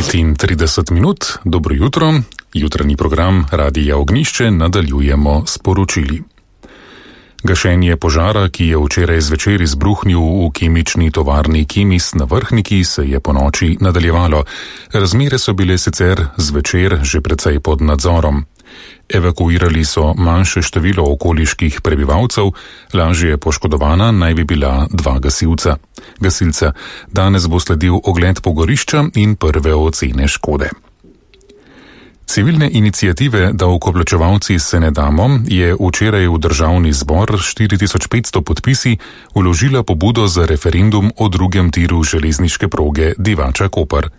30 minut, dobro jutro, jutranji program Radia Ognjišče nadaljujemo s poročili. Gašenje požara, ki je včeraj zvečer izbruhnil v kemični tovarni Kemis na Vrhniki, se je ponoči nadaljevalo. Razmere so bile sicer zvečer že precej pod nadzorom. Evakuirali so manjše število okoliških prebivalcev, lažje poškodovana naj bi bila 2 gasilca. Danes bo sledil ogled pogorišča in prve ocene škode. Civilne iniciative Davkoplačevalci se ne damo je včeraj v državni zbor 4500 podpisi vložila pobudo za referendum o drugem tiru železniške proge Divača-Koper.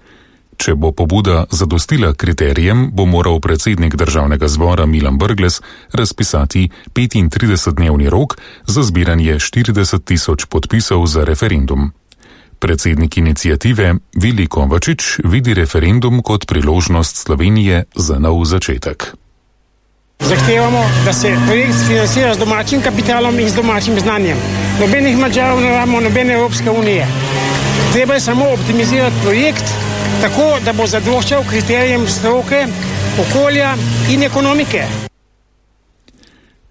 Če bo pobuda zadostila kriterijem, bo moral predsednik državnega zbora Milan Brglez razpisati 35-dnevni rok za zbiranje 40 000 podpisov za referendum. Predsednik iniciative Vili Kovačič vidi referendum kot priložnost Slovenije za nov začetek. Zahtevamo, da se projekt financira z domačim kapitalom in z domačim znanjem. Nobenih Madžarov ne rabimo, nobene Evropske unije. Treba je samo optimizirati projekt tako, da bo zadoščal kriterijem stroke, okolja in ekonomike.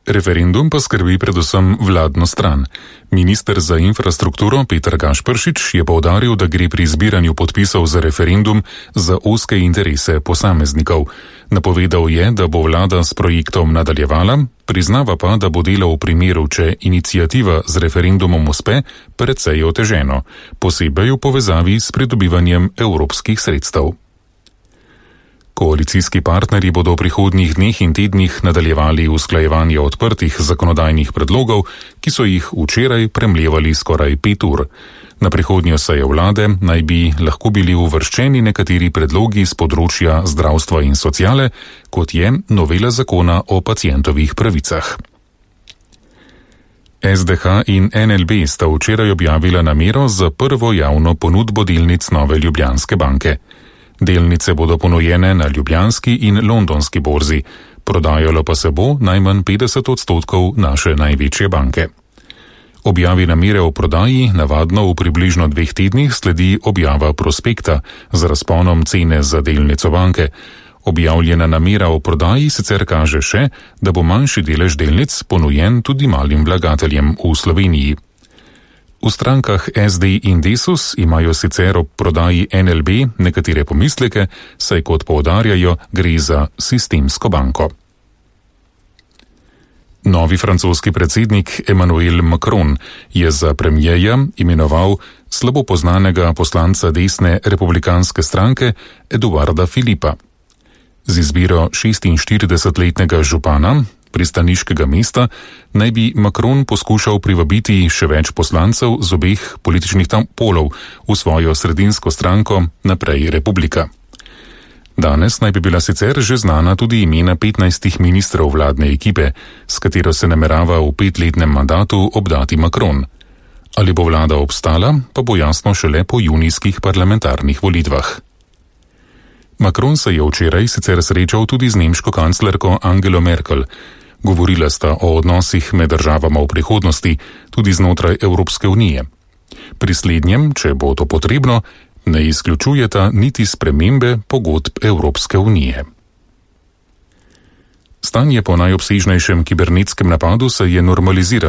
Referendum pa skrbi predvsem vladno stran. Minister za infrastrukturo Peter Gašperšič je poudaril, da gre pri zbiranju podpisov za referendum za ozke interese posameznikov. Napovedal je, da bo vlada s projektom nadaljevala, priznava pa, da bo delo v primeru, če iniciativa z referendumom uspe, precej oteženo, posebej v povezavi s pridobivanjem evropskih sredstev. Koalicijski partnerji bodo v prihodnjih dneh in tednih nadaljevali usklajevanje odprtih zakonodajnih predlogov, ki so jih včeraj premlevali skoraj 5 ur. Na prihodnjo sejo vlade naj bi lahko bili uvrščeni nekateri predlogi z področja zdravstva in sociale, kot je novela zakona o pacientovih pravicah. SDH in NLB sta včeraj objavila namero za prvo javno ponudbo delnic Nove Ljubljanske banke. Delnice bodo ponujene na ljubljanski in londonski borzi, prodajalo pa se bo najmanj 50% naše največje banke. Objavi namere o prodaji navadno v približno 2 tednih sledi objava prospekta z razponom cene za delnico banke. Objavljena namera o prodaji sicer kaže še, da bo manjši delež delnic ponujen tudi malim vlagateljem v Sloveniji. V strankah SD in Desus imajo sicer ob prodaji NLB nekatere pomisleke, saj kot poudarjajo, gre za sistemsko banko. Novi francoski predsednik Emmanuel Macron je za premierja imenoval slabo poznanega poslanca desne republikanske stranke Eduarda Philippa. Z izbiro 46-letnega župana pristaniškega mesta naj bi Macron poskušal privabiti še več poslancev z obeh političnih polov v svojo sredinsko stranko Naprej Republika. Danes naj bi bila sicer že znana tudi imena 15 ministrov vladne ekipe, s katero se namerava v 5-letnem mandatu obdati Macron. Ali bo vlada obstala, pa bo jasno šele po junijskih parlamentarnih volitvah. Macron se je včeraj sicer srečal tudi z nemško kanclerko Angelo Merkel. Govorila sta o odnosih med državama v prihodnosti, tudi znotraj Evropske unije. Pri slednjem, če bo to potrebno, ne izključujeta niti spremembe pogodb Evropske unije. Stanje po najobsežnejšem kibernetskem napadu se je normaliziralo.